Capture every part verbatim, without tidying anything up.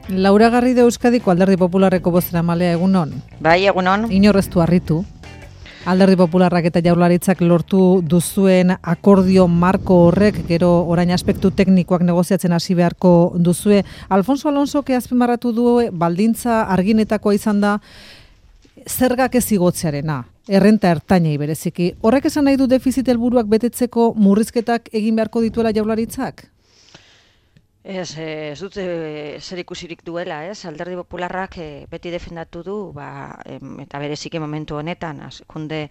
Laura Garrido Euskadiko Alderdi Popularreko bozeramalea, egunon. Bai, egunon. Inorreztu harritu. Alderdi Popularrak eta Jaurlaritzak lortu duzuen akordio marko horrek, gero orain aspektu teknikoak negoziatzen hasi beharko duzue. Alfonso Alonsok azpimarratu du baldintza arginetakoa izan da zergak ez igotzearena, errenta ertainei bereziki. Horrek esan nahi du defizit helburuak betetzeko murrizketak egin beharko dituela Jaurlaritzak? Ez, ez dut zer ikusirik duela, ez? Alderdi Popularrak e, beti defendatu du, ba, em, eta bereziki momentu honetan, hazkunde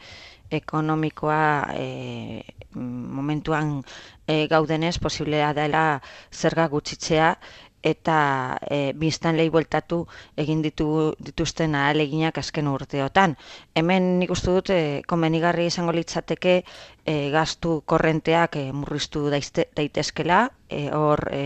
ekonomikoa e, momentuan e, gaudenez, posiblea dela zerga gutxitzea, eta e, biztanleei bueltatu egin ditu, dituzten ahaleginak azken urteotan. Hemen nik uste dut e, komenigarri izango litzateke e, gastu korrenteak e, murriztu daizte, daitezkela, e, hor e,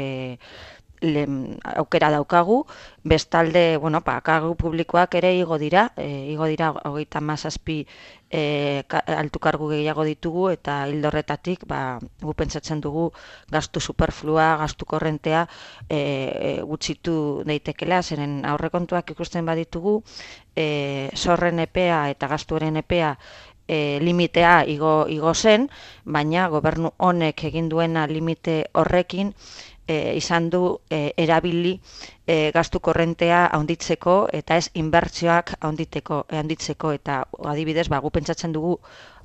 le, aukera daukagu, bestalde, bueno, pa, kargu publikoak ere igo dira, e, igo dira hogeita hamazazpi e, altu kargu gehiago ditugu, eta hildorretatik, ba, gu pentsatzen dugu gastu superflua, gastu korrentea e, e, gutxitu daitekela, zeren aurrekontuak ikusten baditugu, e, zorren epea eta gastuaren epea E, limitea igo, igo zen, baina gobernu honek egin duena limite horrekin e, izan du e, erabili e, gastu korrentea handitzeko eta ez inbertsioak handitzeko, handitzeko eta adibidez, ba, gu pentsatzen dugu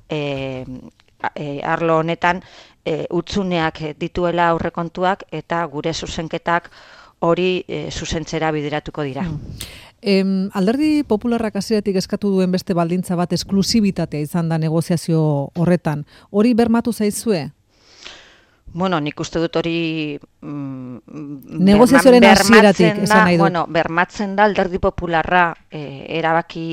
e, e, arlo honetan e, utzuneak dituela aurrekontuak eta gure zuzenketak hori e, zuzentzera bideratuko dira. Mm. Em, Alderdi Popularrak hasieratik eskatu duen beste baldintza bat esklusibitatea izan da negoziazio horretan. Hori bermatu zaizue? Bueno, nik uste dut hori mm, negoziazioaren hasieratik esan nahi dut. Bueno, bermatzen da Alderdi Popularra e, erabaki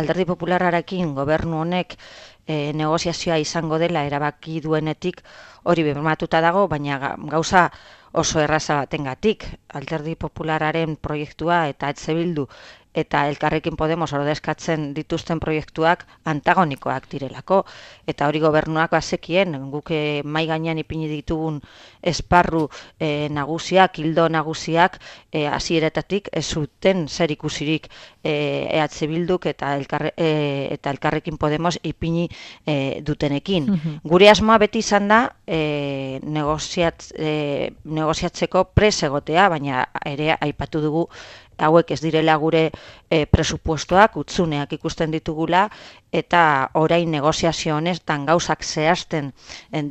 Alderdi Popularrarekin gobernu honek e, negoziazioa izango dela erabaki duenetik hori bermatuta dago, baina gauza oso erraza batengatik. Alderdi Popularraren proiektua eta Etxe Bildu eta Elkarrekin Podemos ordezkatzen dituzten proiektuak antagonikoak direlako. Eta hori gobernuak bazekien, guk mai gainean ipini ditugun esparru e, nagusiak, ildo nagusiak, e, hasieretatik ez zuten zer ikusirik e, Etxe Bilduk eta, elkarre, e, eta Elkarrekin Podemos ipini e, dutenekin. Mm-hmm. Gure asmoa beti izan da e, negoziat, e, negoziatzeko pres egotea, baina ere aipatu dugu hauek ez direla gure e, presupuestoak, utzuneak ikusten ditugula, eta orain negoziazio honetan gauzak zehazten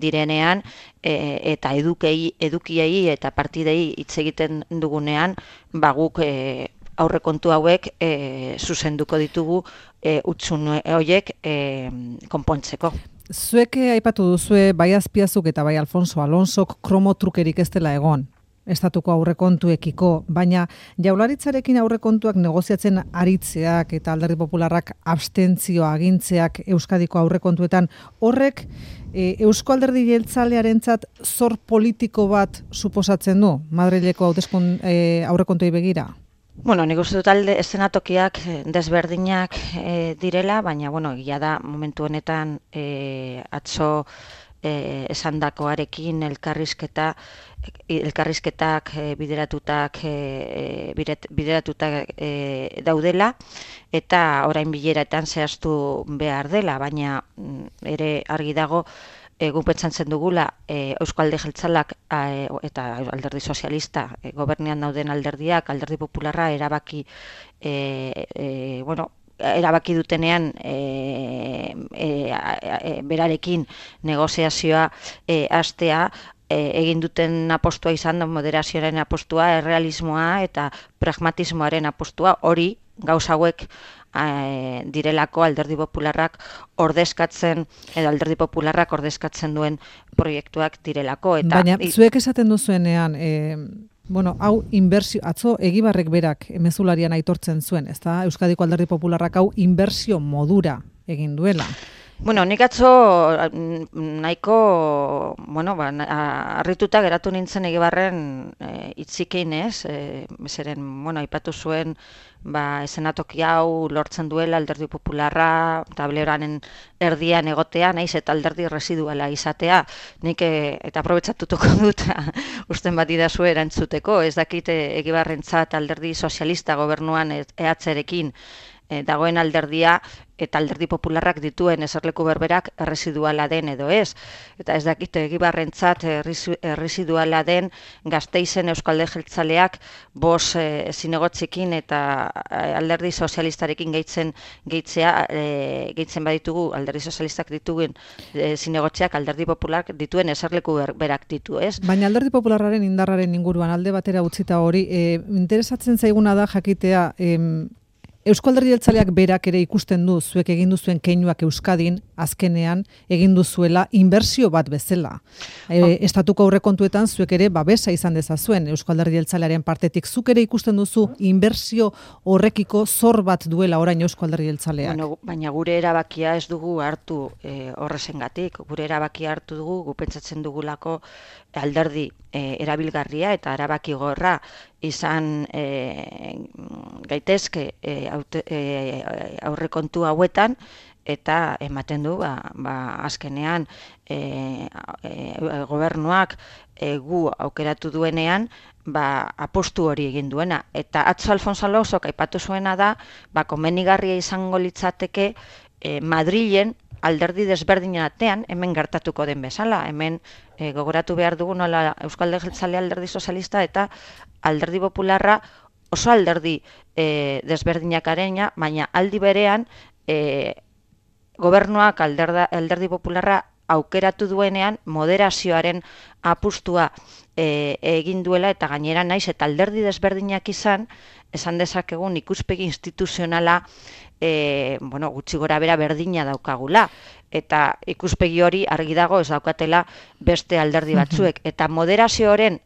direnean, e, eta edukei, edukiei eta partidei hitz egiten dugunean, ba guk e, aurrekontu hauek e, zuzenduko ditugu e, utzun horiek e, konpontzeko. Zuek aipatu duzue bai Azpiazuk eta bai Alfonso Alonsok kromotrukerik ez dela egon estatuko aurrekontuekiko, baina Jaurlaritzarekin aurrekontuak negoziatzen aritzeak eta Alderdi Popularrak abstentzioa agintzeak Euskadiko aurrekontuetan, horrek e, Eusko Alderdi Jeltzalearentzat zor politiko bat suposatzen du Madrileko hauteskun e, aurrekontuei begira? Bueno, nik uste dut alde eszenatokiak desberdinak e, direla, baina bueno, egia da momentu honetan e, atzo e, esandakoarekin elkarrizketa elkarrizketak e, bideratutak e, bideratutak e, daudela eta orain bileretan zehaztu behar dela, baina ere argi dago E, gu pentsatzen dugula e, Eusko Alderdi Jeltzalak e, eta Alderdi Sozialista e, gobernean dauden alderdiak, Alderdi Popularra erabaki e, e, bueno, erabaki dutenean e, e, e, berarekin negoziazioa e, hastea e, egin duten apostua izan da moderazioaren apostua, errealismoa eta pragmatismoaren apostua, hori gauza hauek E, direlako Alderdi Popularrak ordezkatzen edo Alderdi Popularrak ordezkatzen duen proiektuak direlako. Eta, baina zuek esaten duzuenean, e, bueno, hau inbertsio, atzo Egibarrek berak mezularian aitortzen zuen, ezta? Euskadiko Alderdi Popularrak hau inbertsio modura egin duela. Bueno, nik atzo nahiko, bueno, ba, harrituta geratu nintzen Egibarren e, itzikein ez, e, zeren, bueno, aipatu zuen, ba, esenatoki hau lortzen duela alderdi popularra, tableroaren erdian egotea, naiz eta alderdi residuala izatea, nik e, eta aprobetxatutuko dut, usten bat idazue erantzuteko, ez dakit Egibarrentzat alderdi sozialista gobernuan E H rekin e, dagoen alderdia, eta alderdi popularrak dituen eserleku berberak erresiduala den edo ez. Eta ez dakite Egibarrentzat erresiduala den Gasteizen Euskalde Jeltzaleak bos e, zinegotzikin eta alderdi sozialistarekin gehitzen gehitzea, e, gehitzen baditugu alderdi sozialistak dituen e, zinegotziak alderdi popularrak dituen eserleku berberak ditu, ez? Baina alderdi popularraren indarraren inguruan alde batera utzita hori, e, interesatzen zaiguna da jakitea, em, Eusko Alderdi Jeltzaleak berak ere ikusten du zuek egin duzuen keinuak Euskadin azkenean egin duzuela inbertsio bat bezala. E, estatuko aurrekontuetan zuek ere babesa izan dezazuen Eusko Alderdi Jeltzalearen partetik. Zuk ere ikusten duzu inbertsio horrekiko zor bat duela orain Eusko Alderdi Jeltzaleak. Bueno, baina gure erabakia ez dugu hartu e, horrezengatik. Gure erabakia hartu dugu, gu pentsatzen dugulako alderdi e, erabilgarria eta erabaki gorra izan e, gaitezke e, aute, e, aurrekontu hauetan, eta ematen du ba, ba, azkenean e, e, gobernuak e, gu aukeratu duenean ba, apostu hori egin duena. Eta atzo Alfonso Alonsok aipatu zuena da, ba, komenigarria izango litzateke e, Madrilen alderdi desberdinen artean, hemen gertatuko den bezala, hemen e, gogoratu behar dugu nola Euskalde Jeltzalea alderdi sozialista eta alderdi popularra oso alderdi e, desberdinak arena, baina aldi berean e, gobernuak alderda, alderdi popularra aukeratu duenean moderazioaren apustua e, egin duela eta gainera naiz eta alderdi desberdinak izan, esan dezakegun ikuspegi instituzionala e, bueno, gutxi gora bera berdina daukagula. Eta ikuspegi hori argi dago ez daukatela beste alderdi batzuek. Eta moderazio horren,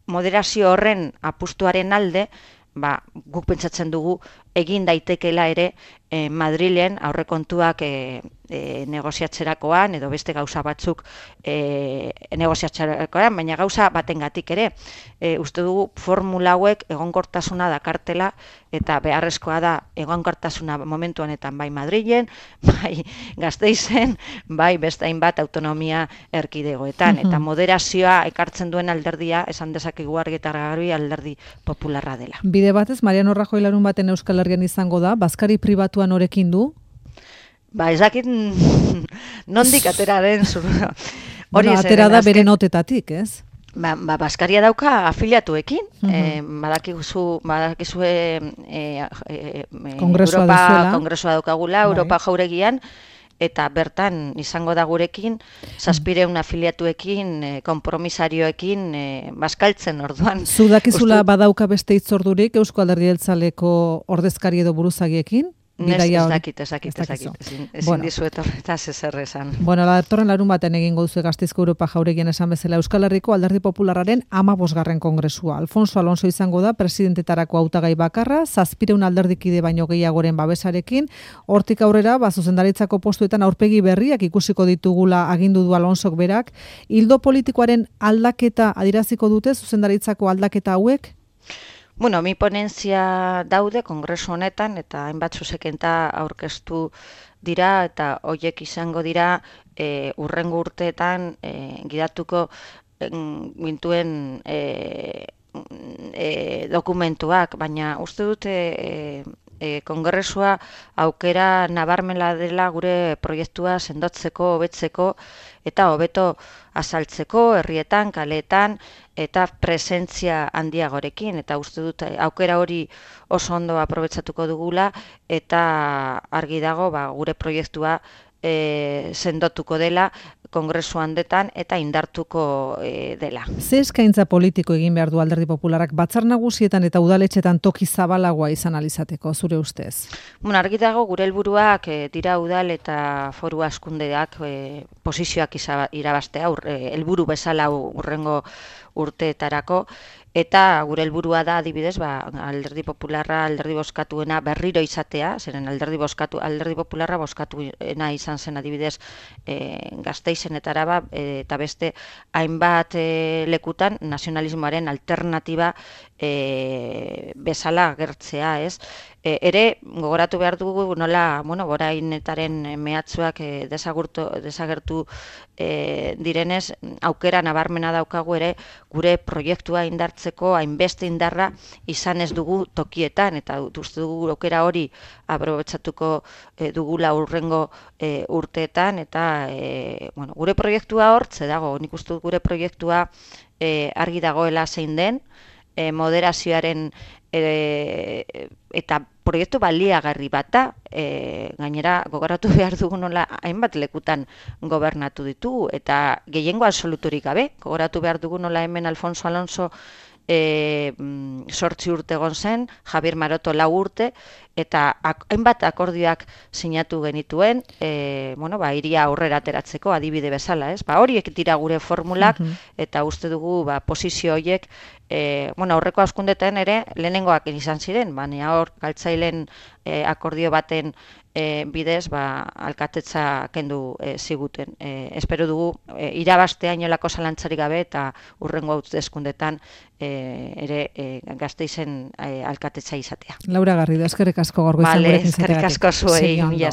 moderazio horren apustuaren alde, ba, guk pentsatzen dugu egin daitekela ere e, Madrilen aurrekontuak e, e, negoziatzerakoan edo beste gauza batzuk e, negoziatzerakoan, baina gauza batengatik ere. E, uste dugu formula hauek egonkortasuna dakartela eta beharrezkoa da egonkortasuna momentu honetan bai Madrilen, bai Gasteizen, bai beste hainbat autonomia erkidegoetan. Eta moderazioa ekartzen duen alderdia esan dezakegu argi eta garbi alderdi popularra dela. Bide batez, Mariano Rajoy larun baten Euskal Herrian izango da, bazkari pribatuan orekin du? Ba, ezakit nondik atera den zu. Bueno, atera da bere notetatik, ez? Ba, ba, bazkaria dauka afiliatuekin, uh-huh. e, badakizu, badakizue e, e, Kongresua Europa duzuela. Kongresua daukagula, bai. Europa jauregian, eta bertan izango da gurekin, zazpireun afiliatuekin, e, kompromisarioekin, e, bazkaltzen orduan. Zudakizula Ustu... badauka beste hitzordurik Eusko Alderdi Jeltzaleko ordezkari edo buruzagiekin? Ez dakit, ez dakit, ez dakit, ezin, ezin bueno. dizuet horretaz ezer esan. Bueno, datorren larun baten egingo duzu Gasteizko Europa jauregian esan bezala Euskal Herriko Alderdi Popularraren hamabosgarren kongresua. Alfonso Alonso izango da presidentetarako hautagai bakarra, zazpireun alderdikide baino gehiagoren babesarekin, hortik aurrera, ba, zuzendaritzako postuetan aurpegi berriak ikusiko ditugula agindu du Alonsok berak. Ildo politikoaren aldaketa adiraziko dute zuzendaritzako aldaketa hauek? Bueno, mi ponentzia daude kongresu honetan eta hainbat zuzenketa aurkeztu dira eta hoiek izango dira e, urrengo urteetan e, gidatuko gintuen e, e, dokumentuak, baina uste dute e, e, kongresua aukera nabarmela dela gure proiektua sendotzeko, hobetzeko eta hobeto azaltzeko herrietan, kaleetan eta presentzia handiagorekin, eta uste dut aukera hori oso ondo aprobetxatuko dugula eta argi dago ba, gure proiektua e, sendotuko dela kongresu handetan eta indartuko e, dela. Ze eskaintza politiko egin behar du Alderdi Popularrak batzar nagusietan eta udaletxetan toki zabalagoa izan alizateko, zure ustez? Bueno, argi dago gure helburuak e, dira udal eta foru askundeak e, posizioak irabaztea, helburu bezala urrengo urteetarako, eta gure helburua da adibidez, ba, alderdi popularra, alderdi bozkatuena berriro izatea, zeren alderdi bozkatu, alderdi popularra bozkatuena izan zen adibidez e, Gasteizen eta Araba, e, eta beste hainbat e, lekutan nazionalismoaren alternatiba e, bezala agertzea, ez? E, ere, gogoratu behar dugu nola, bueno, borainetaren mehatzuak e, desagurtu, desagertu e, direnez, aukera nabarmena daukagu ere gure proiektua indartzeko hainbeste indarra izan ez dugu tokietan, eta uste dugu aukera hori aprobetxatuko e, dugula urrengo e, urteetan, eta e, bueno, gure proiektua hortze dago, nik uste dut gure proiektua e, argi dagoela zein den, e, moderazioaren e, eta proiektu baliagarri bat da, e, gainera gogoratu behar dugu nola hainbat lekutan gobernatu ditugu, eta gehiengo absoluturik gabe, gogoratu behar dugu nola hemen Alfonso Alonso e, sortzi urte egon zen, Javier Maroto lau urte, eta ak, hainbat akordioak sinatu genituen, e, bueno, ba, iria aurrera ateratzeko adibide bezala, ez? Ba, horiek dira gure formulak, uh-huh. eta uste dugu ba, posizio horiek, e, bueno, aurreko hauskundetan ere lehenengoak izan ziren, baina hor galtzailen e, akordio baten e, bidez, ba, alkatetza kendu e, ziguten. E, espero dugu e, irabastea inolako zalantzarik gabe, eta urrengo hauteskundetan e, ere e, Gasteizen e, alkatetza izatea. Laura Garrido, eskerrik asko gaur goizen vale, gurekin zateagatik. Eskerrik asko zuei, mila